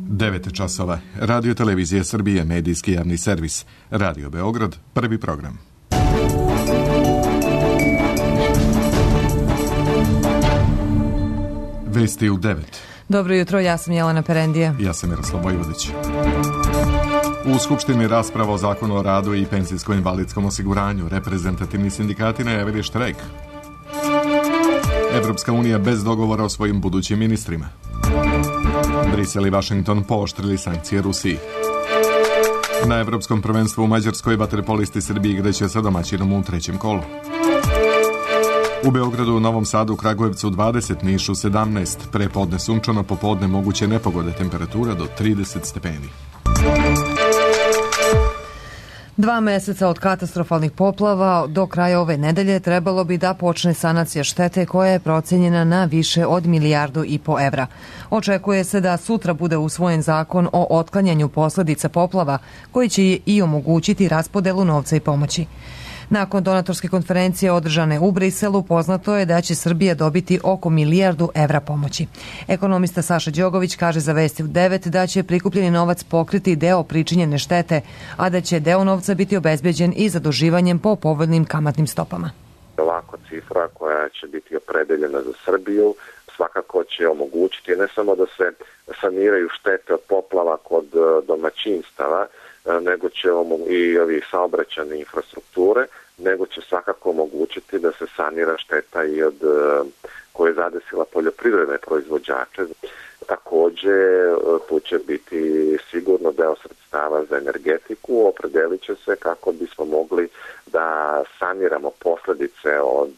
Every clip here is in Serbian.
9 časova. Radio Televizije Srbije, medijski javni servis. Radio Beograd, prvi program. Vesti u 9. Dobro jutro, ja sam Jelena Perendija. Ja sam Miroslav Vojvodić. U Skupštini rasprava o zakonu o radu i penzijsko-invalidskom osiguranju. Reprezentativni sindikati najavili štrajk. Evropska unija bez dogovora o svojim budućim ministrima. Brisel i Vašington pooštrili sankcije Rusiji. Na Evropskom prvenstvu u Mađarskoj vaterpolisti Srbije igraće sa domaćinom u trećem kolu. U Beogradu, Novom Sadu, Kragujevcu 20, Nišu 17, prepodne sunčano, popodne moguće nepogode, temperatura do 30 stepeni. 2 meseca od katastrofalnih poplava do kraja ove nedelje trebalo bi da počne sanacija štete koja je procenjena na više od 1,5 milijardu evra. Očekuje se da sutra bude usvojen zakon o otklanjanju posledica poplava koji će i omogućiti raspodelu novca i pomoći. Nakon donatorske konferencije održane u Briselu, poznato je da će Srbija dobiti oko 1 milijardu evra pomoći. Ekonomista Saša Đogović kaže za Vesti u 9 da će prikupljeni novac pokriti deo pričinjene štete, a da će deo novca biti obezbeđen i zaduživanjem po povoljnim kamatnim stopama. Ovako cifra koja će biti opredeljena za Srbiju svakako će omogućiti ne samo da se saniraju štete od poplava kod domaćinstava, nego će i ovi saobraćajne infrastrukture, nego će svakako omogućiti da se sanira šteta i od koje je zadesila poljoprivredne proizvođače. Takođe, tu će biti sigurno deo sredstava za energetiku, opredelit će se kako bismo mogli da saniramo posledice od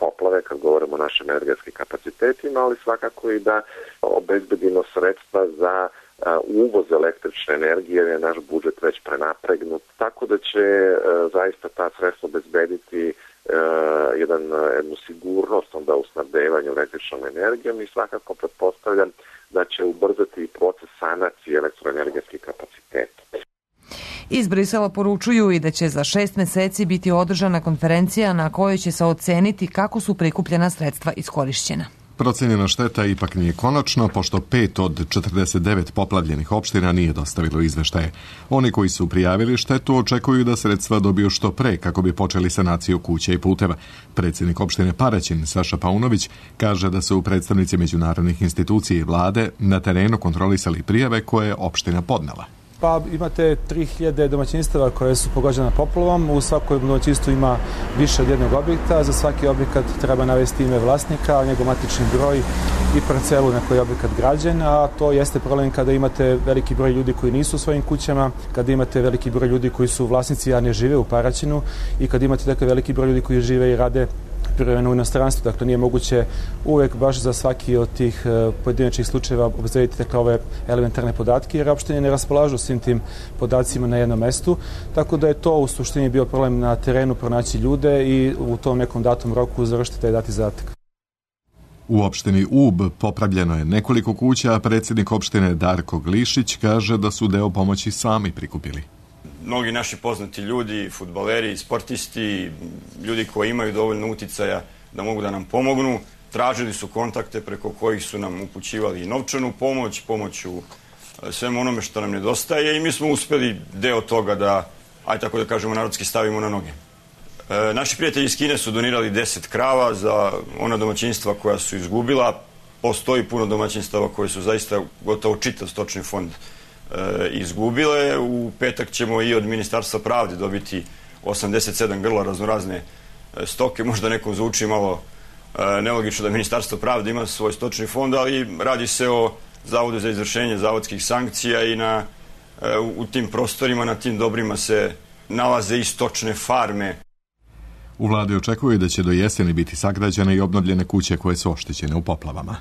poplave kad govorimo o našim energetskim kapacitetima, ali svakako i da obezbedimo sredstva za uvoz električne energije, jer je naš budžet već prenapregnut, tako da će zaista ta sredstva obezbediti jednu sigurnost onda u snabdevanju električnom energijom i svakako pretpostavljam da će ubrzati proces sanacije elektroenergetskih kapaciteta. Iz Brisela poručuju i da će za 6 meseci biti održana konferencija na kojoj će se oceniti kako su prikupljena sredstva iskorišćena. Procenjena šteta ipak nije konačna, pošto 5 od 49 poplavljenih opština nije dostavilo izveštaje. Oni koji su prijavili štetu očekuju da sredstva dobiju što pre kako bi počeli sanaciju kuća i puteva. Predsjednik opštine Paraćin, Saša Paunović, kaže da su predstavnici međunarodnih institucija i vlade na terenu kontrolisali prijave koje je opština podnela. Pa imate 3000 domaćinstava koje su pogođena poplavom. U svakom domaćinstvu ima više od jednog objekta. Za svaki objekat treba navesti ime vlasnika, njegov matični broj i parcelu na kojoj je objekat građen, a to jeste problem kada imate veliki broj ljudi koji nisu u svojim kućama, kada imate veliki broj ljudi koji su vlasnici, a ne žive u Paraćinu i kada imate dakle veliki broj ljudi koji žive i rade privremeno u inostranstvu. Dakle, nije moguće uvek baš za svaki od tih pojedinačnih slučajeva obezbediti dakle ove elementarne podatke, jer opštine ne raspolažu svim tim podacima na jednom mestu. Tako da je to u suštini bio problem na terenu pronaći ljude i u tom nekom datom roku završiti taj dati zadatak. U opštini Ub popravljeno je nekoliko kuća, a predsjednik opštine Darko Glišić kaže da su deo pomoći sami prikupili. Mnogi naši poznati ljudi, fudbaleri, sportisti, ljudi koji imaju dovoljno uticaja da mogu da nam pomognu, tražili su kontakte preko kojih su nam upućivali i novčanu pomoć u svemu onome što nam nedostaje i mi smo uspeli deo toga da, ajde tako da kažemo, narodski stavimo na noge. Naši prijatelji iz Kine su donirali 10 krava za ona domaćinstva koja su izgubila. Postoji puno domaćinstava koje su zaista gotovo čitav stočni fond izgubile. U petak ćemo i od Ministarstva pravde dobiti 87 grla raznorazne stoke. Možda nekom zvuči malo nelogično da Ministarstvo pravde ima svoj stočni fond, ali radi se o Zavodu za izvršenje zavodskih sankcija i u tim prostorima, na tim dobrima se nalaze i stočne farme. U vladi očekuju da će do jeseni biti sagrađene i obnovljene kuće koje su oštećene u poplavama.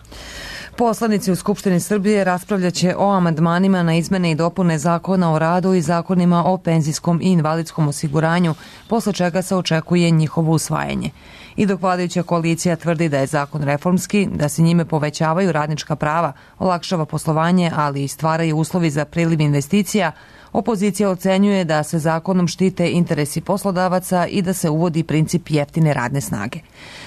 Poslanici u Skupštini Srbije raspravljaće o amandmanima na izmene i dopune Zakona o radu i zakonima o penzijskom i invalidskom osiguranju, posle čega se očekuje njihovo usvajanje. I dok vladajuća koalicija tvrdi da je zakon reformski, da se njime povećavaju radnička prava, olakšava poslovanje, ali i stvaraju uslovi za priliv investicija, opozicija ocenjuje da se zakonom štite interesi poslodavaca i da se uvodi princip jeftine radne snage.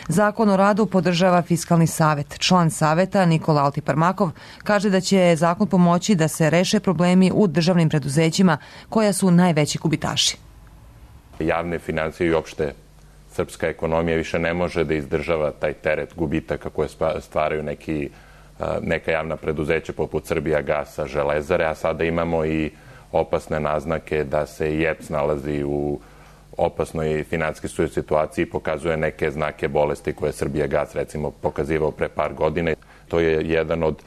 Zakon o radu podržava Fiskalni savet. Član saveta Nikola Altiparmakov kaže da će zakon pomoći da se reše problemi u državnim preduzećima koja su najveći gubitaši. Javne financije i opšte srpska ekonomija više ne može da izdržava taj teret gubitaka koje stvaraju neka javna preduzeća poput Srbijagasa, Železare, a sada imamo i opasne naznake da se i EPS nalazi u opasnoj finansijskoj situaciji i pokazuje neke znake bolesti koje je Srbijagas recimo pokazivao pre par godina. To je jedan od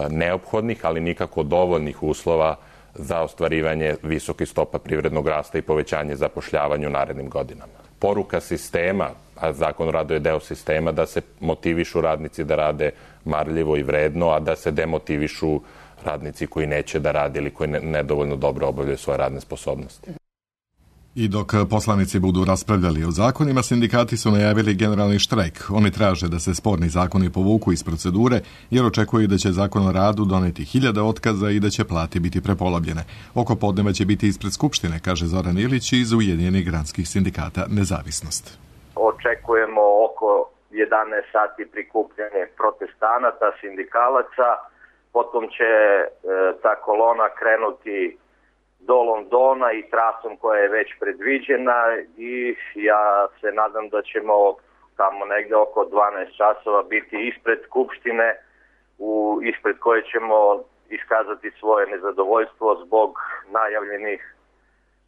neophodnih, ali nikako dovoljnih uslova za ostvarivanje visokih stopa privrednog rasta i povećanje zapošljavanja u narednim godinama. Poruka sistema, a zakon o radu je deo sistema, da se motivišu radnici da rade marljivo i vredno, a da se demotivišu radnici koji neće da rade ili koji nedovoljno dobro obavljaju svoje radne sposobnosti. I dok poslanici budu raspravljali o zakonima, sindikati su najavili generalni štrajk. Oni traže da se sporni zakoni povuku iz procedure, jer očekuju da će zakon o radu doneti 1000 otkaza i da će plate biti prepolovljene. Oko podneva će biti ispred Skupštine, kaže Zoran Ilić iz Ujedinjenih granskih sindikata Nezavisnost. Očekujemo oko 11 sati prikupljanje protestanata, sindikalaca, potom će ta kolona krenuti do Londona i trasom koja je već predviđena i ja se nadam da ćemo tamo negde oko 12 časova biti ispred Skupštine ispred koje ćemo iskazati svoje nezadovoljstvo zbog najavljenih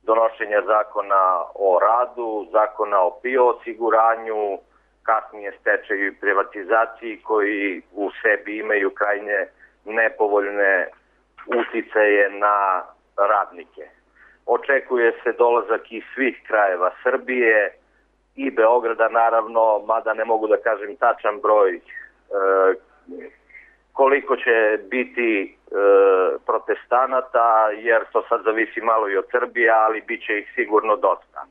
donošenja zakona o radu, zakona o PIO osiguranju, kasnije stečaju i privatizaciji koji u sebi imaju krajnje nepovoljne uticaje na radnike. Očekuje se dolazak iz svih krajeva Srbije i Beograda naravno, mada ne mogu da kažem tačan broj koliko će biti protestanata, jer to sad zavisi malo i od Srbije, ali bit će ih sigurno dosta.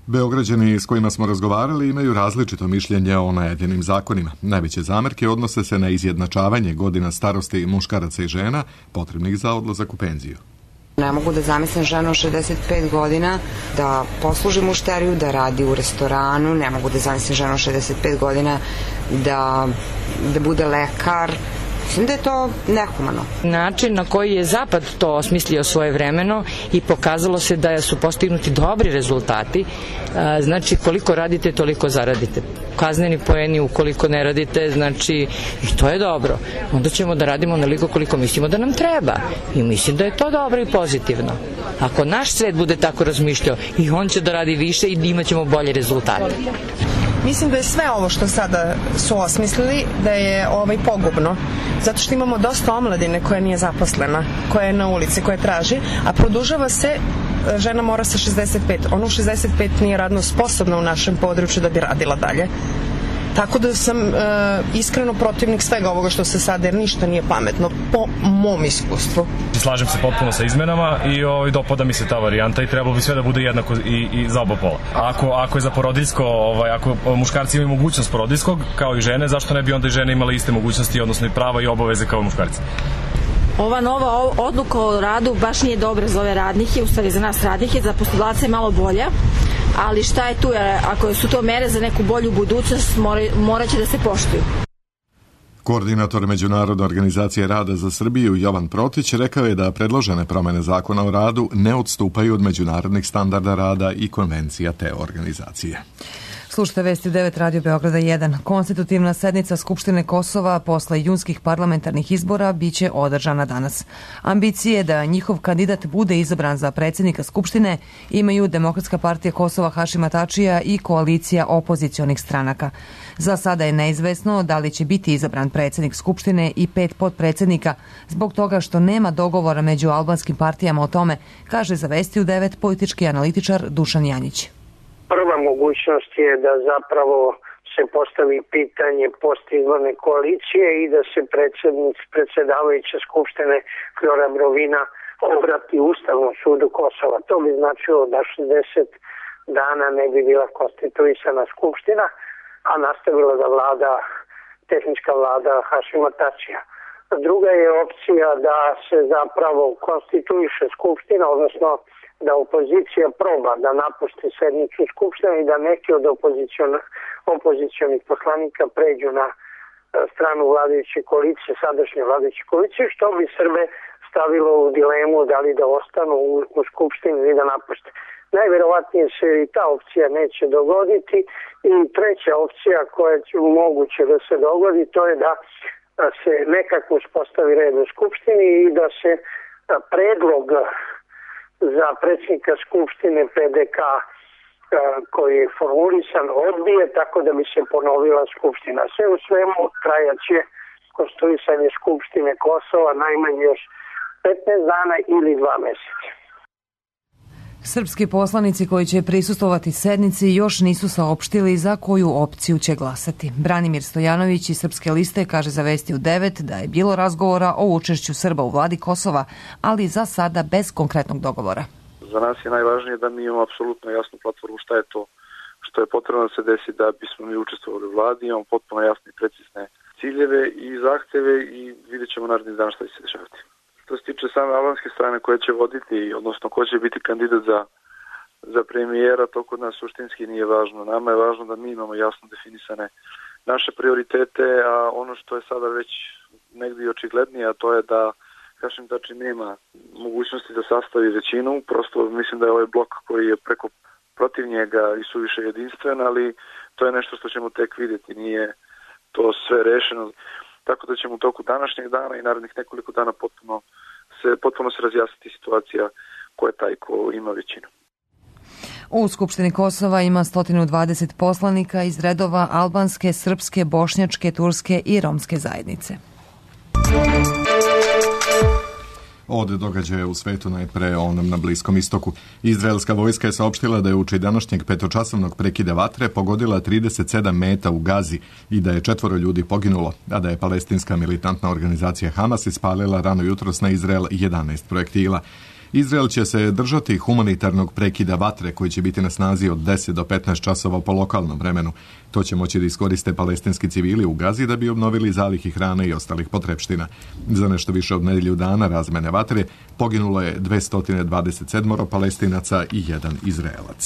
Beograđani s kojima smo razgovarali imaju različito mišljenje o najavljenim zakonima. Najveće zamerke odnose se na izjednačavanje godina starosti muškaraca i žena potrebnih za odlazak u penziju. Ne mogu da zamislim ženu od 65 godina da posluži mušteriju, da radi u restoranu, ne mogu da zamislim ženu od 65 godina da bude lekar. Mislim da je to nehumano. Način na koji je Zapad to osmislio svojevremeno i pokazalo se da su postignuti dobri rezultati, znači koliko radite, toliko zaradite. Kazneni poeni ukoliko ne radite, znači i to je dobro. Onda ćemo da radimo onoliko koliko mislimo da nam treba. I mislim da je to dobro i pozitivno. Ako naš svet bude tako razmišljao, i on će da radi više i imat ćemo bolje rezultate. Mislim da je sve ovo što sada su osmislili da je pogubno, zato što imamo dosta omladine koja nije zaposlena, koja je na ulici, koja traži, a produžava se, žena mora sa 65, ona u 65 nije radno sposobna u našem području da bi radila dalje. Tako da sam iskreno protivnik svega ovoga što se sada, jer ništa nije pametno po mom iskustvu. Slažem se potpuno sa izmenama i dopada mi se ta varijanta i trebalo bi sve da bude jednako i za oba pola. Ako je za porodiljsko, ako muškarci imaju mogućnost porodiljskog kao i žene, zašto ne bi onda i žene imale iste mogućnosti, odnosno i prava i obaveze kao muškarci? Ova nova odluka o radu baš nije dobra za ove radnike, u stvari za nas radnike, za poslodavce je malo bolja, ali šta je tu, ako su to mere za neku bolju budućnost, morat će da se poštuju. Koordinator Međunarodne organizacije rada za Srbiju Jovan Protić rekao je da predložene promene zakona o radu ne odstupaju od međunarodnih standarda rada i konvencija te organizacije. Slušajte vesti 9 Radio Beograda 1. Konstitutivna sednica Skupštine Kosova posle junskih parlamentarnih izbora biće održana danas. Ambicije da njihov kandidat bude izabran za predsjednika Skupštine imaju Demokratska partija Kosova Hašima Tačija i koalicija opozicionih stranaka. Za sada je neizvesno da li će biti izabran predsjednik Skupštine i 5 potpredsjednika zbog toga što nema dogovora među albanskim partijama o tome, kaže za vesti u 9 politički analitičar Dušan Janjić. Prva mogućnost je da zapravo se postavi pitanje postizborne koalicije i da se predsjedavajuća Skupštine Flora Brovina obrati Ustavnom sudu Kosova. To bi značilo da 60 dana ne bi bila konstituisana Skupština, a nastavila da vlada tehnička vlada Hašima Tačija. Druga je opcija da se zapravo konstituiše Skupština, odnosno da opozicija proba da napusti sednicu Skupštine i da neki od opozicionih poslanika pređu na stranu vladajuće koalicije, sadašnje vladajuće koalicije, što bi Srbe stavilo u dilemu da li da ostanu u Skupštini ili da napuste. Najverovatnije se i ta opcija neće dogoditi i treća opcija koja će moguće da se dogodi, to je da se nekako uspostavi red u Skupštini i da se predlog za predsjednika Skupštine PDK koji je formulisan odbije, tako da bi se ponovila Skupština. Sve u svemu trajaće konstituisanje Skupštine Kosova najmanje još 15 dana ili 2 meseca. Srpski poslanici koji će prisustvovati sednici još nisu saopštili za koju opciju će glasati. Branimir Stojanović iz Srpske liste kaže za Vesti u 9 da je bilo razgovora o učešću Srba u vladi Kosova, ali za sada bez konkretnog dogovora. Za nas je najvažnije da mi imamo apsolutno jasnu platformu šta je to što je potrebno da se desi da bismo mi učestvovali u vladi, imamo potpuno jasne i precizne ciljeve i zahteve i vidjet ćemo narednih dana šta će se dešavati. Što se tiče same albanske strane koja će voditi, odnosno ko će biti kandidat za premijera, to kod nas suštinski nije važno. Nama je važno da mi imamo jasno definisane naše prioritete, a ono što je sada već negdje očiglednije, a to je da Hašim Tači nema mogućnosti da sastavi većinu, prosto mislim da je ovaj blok koji je preko protiv njega i suviše jedinstven, ali to je nešto što ćemo tek vidjeti, nije to sve rešeno. Tako da ćemo u toku današnjeg dana i narednih nekoliko dana potpuno se razjasniti situacija ko je taj ko ima većinu. U Skupštini Kosova ima 120 poslanika iz redova albanske, srpske, bošnjačke, turske i romske zajednice. Od događaja u svetu najpre onom na Bliskom istoku. Izraelska vojska je saopštila da je uoči današnjeg petočasovnog prekida vatre pogodila 37 meta u Gazi i da je 4 ljudi poginulo, a da je palestinska militantna organizacija Hamas ispalila rano jutros na Izrael 11 projektila. Izrael će se držati humanitarnog prekida vatre koji će biti na snazi od 10 do 15 časova po lokalnom vremenu. To će moći da iskoriste palestinski civili u Gazi da bi obnovili zalihi hrane i ostalih potrepština. Za nešto više od nedelju dana razmene vatre poginulo je 227 Palestinaca i 1 Izraelac.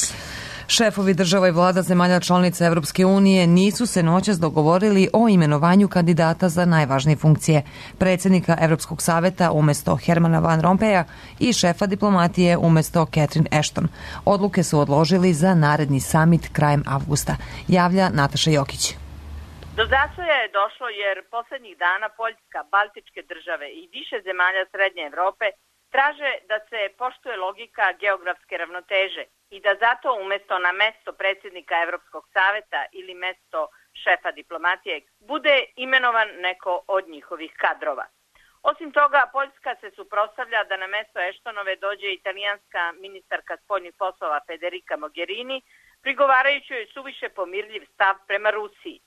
Šefovi država i vlada zemalja članica Evropske unije nisu se noćas dogovorili o imenovanju kandidata za najvažnije funkcije, predsjednika Evropskog saveta umesto Hermana Van Rompuya i šefa diplomatije umesto Catherine Ashton. Odluke su odložili za naredni samit krajem avgusta, javlja Nataša Jokić. Do zastoja je došlo jer poslednjih dana Poljska, Baltičke države i više zemalja Srednje Evrope traže da se poštuje logika geografske ravnoteže i da zato umesto na mesto predsjednika Evropskog saveta ili mesto šefa diplomatije bude imenovan neko od njihovih kadrova. Osim toga, Poljska se suprotstavlja da na mesto Ashtonove dođe italijanska ministarka spoljnih poslova Federica Mogherini, prigovarajući joj suviše pomirljiv stav prema Rusiji.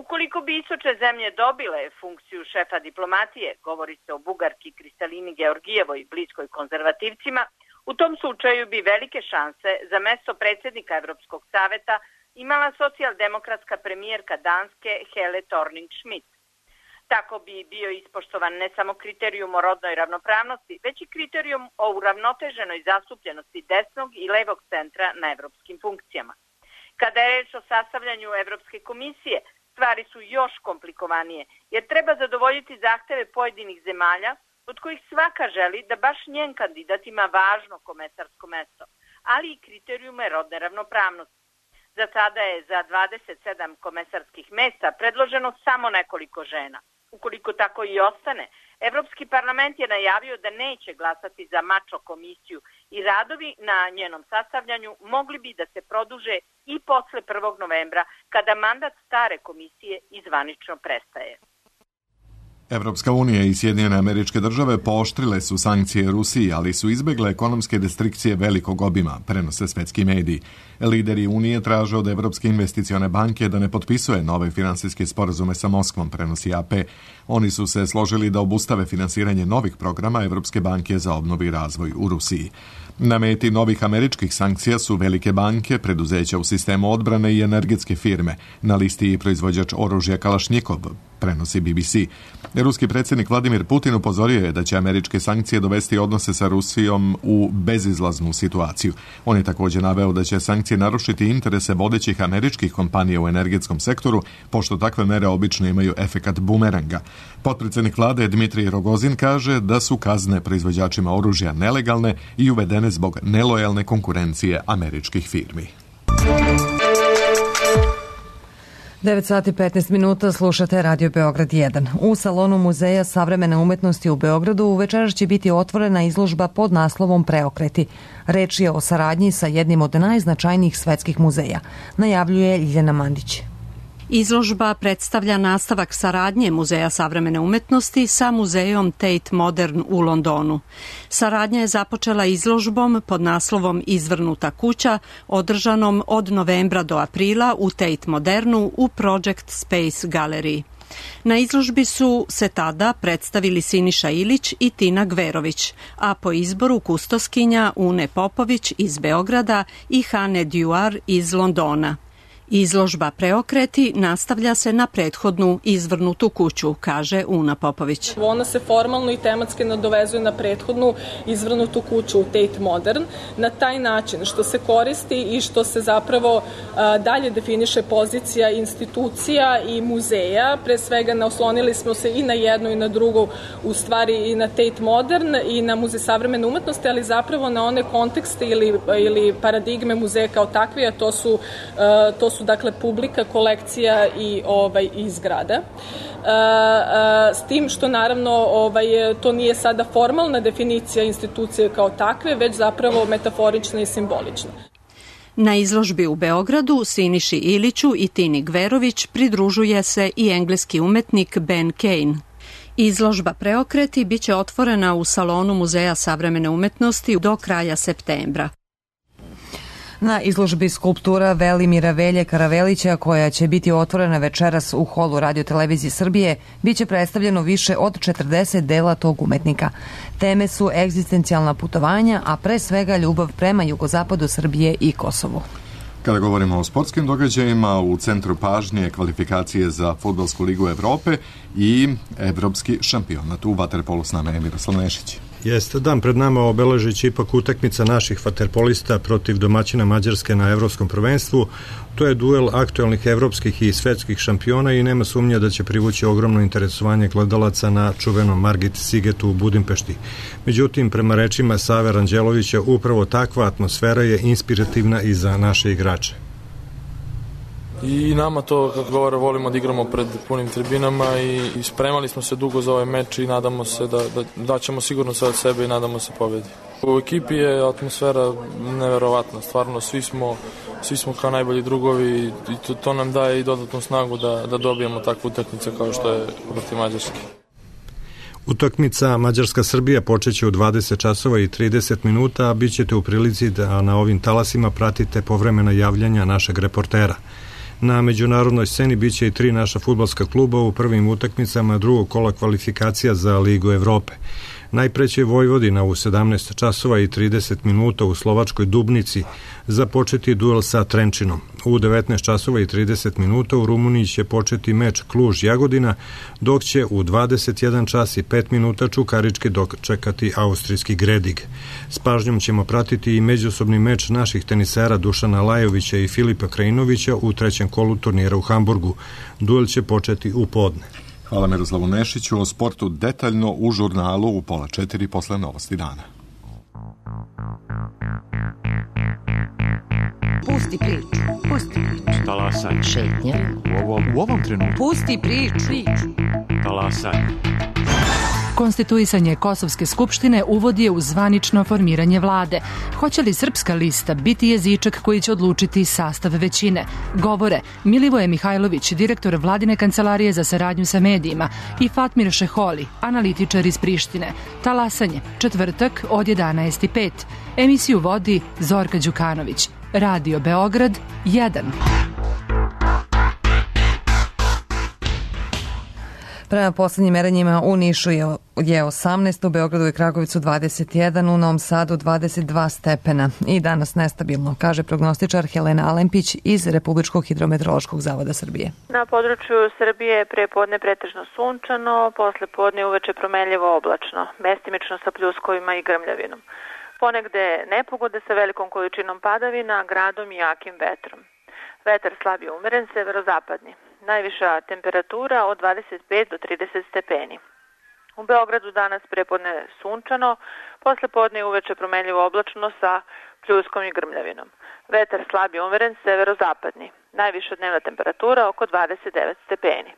Ukoliko bi istočne zemlje dobile funkciju šefa diplomatije, govori se o Bugarki Kristalini Georgijevoj bliskoj konzervativcima, u tom slučaju bi velike šanse za mesto predsjednika Evropskog saveta imala socijaldemokratska premijerka Danske Helle Thorning-Schmidt. Tako bi bio ispoštovan ne samo kriterijum o rodnoj ravnopravnosti, već i kriterijum o uravnoteženoj zastupljenosti desnog i levog centra na evropskim funkcijama. Kada je reč o sastavljanju Evropske komisije, stvari su još komplikovanije, jer treba zadovoljiti zahteve pojedinih zemalja, od kojih svaka želi da baš njen kandidat ima važno komesarsko mesto, ali i kriterijume rodne ravnopravnosti. Za sada je za 27 komesarskih mesta predloženo samo nekoliko žena. Ukoliko tako i ostane, Evropski parlament je najavio da neće glasati za mačo komisiju i radovi na njenom sastavljanju mogli bi da se produže i posle 1. novembra, kada mandat stare komisije izvanično prestaje. Evropska unija i Sjedinjene Američke Države pooštrile su sankcije Rusiji, ali su izbegle ekonomske restrikcije velikog obima, prenose svetski mediji. Lideri Unije traže od Evropske investicione banke da ne potpisuje nove finansijske sporazume sa Moskvom, prenosi AP. Oni su se složili da obustave finansiranje novih programa Evropske banke za obnovu i razvoj u Rusiji. Na meti novih američkih sankcija su velike banke, preduzeća u sistemu odbrane i energetske firme. Na listi je proizvođač oružja Kalašnjikov, prenosi BBC. Ruski predsjednik Vladimir Putin upozorio je da će američke sankcije dovesti odnose sa Rusijom u bezizlaznu situaciju. On je također naveo da će sankcije narušiti interese vodećih američkih kompanija u energetskom sektoru, pošto takve mere obično imaju efekat bumeranga. Potpredsjednik vlade Dmitrij Rogozin kaže da su kazne proizvođačima oružja nelegalne i uvedene zbog nelojalne konkurencije američkih firmi. 9 sati 15 minuta, slušate Radio Beograd 1. U salonu Muzeja savremene umetnosti u Beogradu večeras će biti otvorena izložba pod naslovom Preokreti. Reč je o saradnji sa jednim od najznačajnijih svetskih muzeja, najavljuje Ljiljana Mandić. Izložba predstavlja nastavak saradnje Muzeja savremene umetnosti sa muzejom Tate Modern u Londonu. Saradnja je započela izložbom pod naslovom Izvrnuta kuća, održanom od novembra do aprila u Tate Modernu u Project Space galeriji. Na izložbi su se tada predstavili Siniša Ilić i Tina Gverović, a po izboru kustoskinja Une Popović iz Beograda i Hane Duar iz Londona. Izložba Preokreti nastavlja se na prethodnu Izvrnutu kuću, kaže Una Popović. Ona se formalno i tematski nadovezuje na prethodnu Izvrnutu kuću u Tate Modern na taj način što se koristi i što se zapravo dalje definiše pozicija institucija i muzeja. Pre svega naoslonili smo se i na jednu i na drugu, u stvari i na Tate Modern i na Muzej savremene umetnosti, ali zapravo na one kontekste ili paradigme muzeja kao takve, a to su dakle publika, kolekcija i zgrada. S tim što naravno to nije sada formalna definicija institucije kao takve, već zapravo metaforična i simbolična. Na izložbi u Beogradu Siniši Iliću i Tini Gverović pridružuje se i engleski umetnik Ben Kane. Izložba Preokreti biće otvorena u salonu Muzeja savremene umetnosti do kraja septembra. Na izložbi skulptura Velimira Velje Karavelića, koja će biti otvorena večeras u holu Radio-televizije Srbije, biće predstavljeno više od 40 dela tog umetnika. Teme su egzistencijalna putovanja, a pre svega ljubav prema jugozapadu Srbije i Kosovu. Kada govorimo o sportskim događajima, u centru pažnje kvalifikacije za Fudbalsku ligu Evrope i evropski šampionat. U vaterpolu s nama je Miroslav Nešić. Jeste dan pred nama obeležići ipak utakmica naših vaterpolista protiv domaćina Mađarske na evropskom prvenstvu. To je duel aktuelnih evropskih i svetskih šampiona i nema sumnja da će privući ogromno interesovanje gledalaca na čuvenom Margit Sigetu u Budimpešti. Međutim, prema rečima Save Ranđelovića, upravo takva atmosfera je inspirativna i za naše igrače. I nama to, kako govore, volimo da igramo pred punim tribinama i spremali smo se dugo za ovaj meč i nadamo se da ćemo sigurno sve od sebe i nadamo se pobedi. U ekipi je atmosfera neverovatna, stvarno svi smo kao najbolji drugovi i to nam daje i dodatnu snagu da dobijemo takvu utakmicu kao što je protiv Mađarske. Utakmica Mađarska-Srbija počeće u 20 časova i 30 minuta, a bit ćete u prilici da na ovim talasima pratite povremena javljanja našeg reportera. Na međunarodnoj sceni biće i 3 naša fudbalska kluba u prvim utakmicama drugog kola kvalifikacija za Ligu Evrope. Najpre će Vojvodina u 17 časova i 30 minuta u slovačkoj Dubnici započeti duel sa Trenčinom. U 19 časova i 30 minuta u Rumuniji će početi meč Kluž-Jagodina, dok će u 21 čas i 5 minuta Čukarički dočekati austrijski Gredig. S pažnjom ćemo pratiti i međusobni meč naših tenisera Dušana Lajovića i Filipa Krajinovića u trećem kolu turnira u Hamburgu. Duel će početi u podne. Hvala Miroslavu Nešiću. O sportu detaljno u žurnalu u 3:30 posle novosti dana. Pusti priču. Pusti priču. Talasaj. Šetnja. U ovom trenutku. Pusti priču. Talasaj. Konstituisanje Kosovske skupštine uvodi je u zvanično formiranje vlade. Hoće li Srpska lista biti jezičak koji će odlučiti sastav većine? Govore Milivoje Mihajlović, direktor Vladine kancelarije za saradnju sa medijima, i Fatmir Šeholi, analitičar iz Prištine. Talasanje, četvrtak od 11:05. Emisiju vodi Zorka Đukanović. Radio Beograd 1. Prema poslednjim merenjima u Nišu je 18, u Beogradu i Kragujevcu 21, u Novom Sadu 22 stepena i danas nestabilno, kaže prognostičar Helena Alempić iz Republičkog hidrometeorološkog zavoda Srbije. Na području Srbije prepodne pretežno sunčano, posle podne uveče promenljivo oblačno, mestimično sa pljuskovima i grmljavinom. Ponegde nepogode sa velikom količinom padavina, gradom i jakim vetrom. Vetar slab je umeren, severozapadni. Najviša temperatura od 25 do 30 stepeni. U Beogradu danas prepodne sunčano, posle podne uveče promenljivo oblačno sa pljuskom i grmljavinom. Vetar slab je umeren, severozapadni. Najviša dnevna temperatura oko 29 stepeni.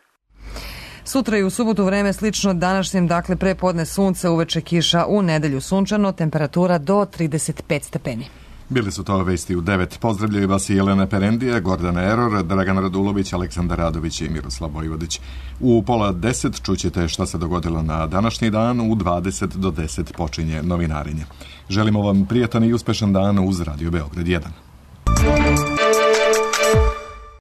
Sutra i u subotu vreme slično današnjem, dakle prepodne sunce, uveče kiša, u nedelju sunčano, temperatura do 35 stepeni. Bili su to vesti u 9. Pozdravljaju vas i Jelena Perendija, Gordana Eror, Dragan Radulović, Aleksandar Radović i Miroslav Vojvodić. U 9:30 čućete šta se dogodilo na današnji dan, u 20 do 10 počinje novinarenje. Želimo vam prijatan i uspešan dan uz Radio Beograd 1.